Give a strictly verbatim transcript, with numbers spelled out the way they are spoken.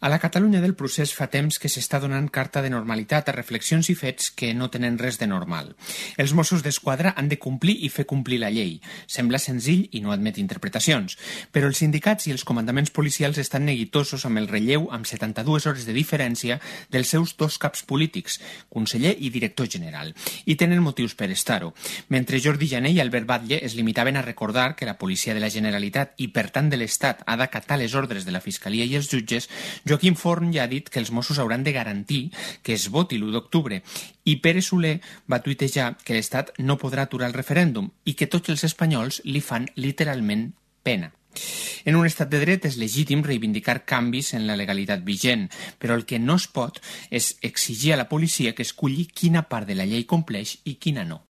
A la Catalunya del procés fa temps que s'està donant carta de normalitat a reflexions i fets que no tenen res de normal. Els Mossos d'Esquadra han de complir i fer complir la llei. Sembla senzill i no admet interpretacions, però els sindicats i els comandaments policials estan neguitosos amb el relleu amb setanta-dues hores de diferència dels seus dos caps polítics, conseller i director general, i tenen motius per estar-ho. Mentre Jordi Jané i Albert Batlle es limitaven a recordar que la policia de la Generalitat i per tant de l'Estat ha d'acatar les ordres de la Fiscalia i els jutges, Joaquim Forn ja ha dit que els Mossos hauran de garantir que es voti l'u d'octubre i Pere Soler va tuitejar que l'Estat no podrà aturar el referèndum i que tots els espanyols li fan literalment pena. En un estat de dret és legítim reivindicar canvis en la legalitat vigent, però el que no es pot és exigir a la policia que esculli quina part de la llei compleix i quina no.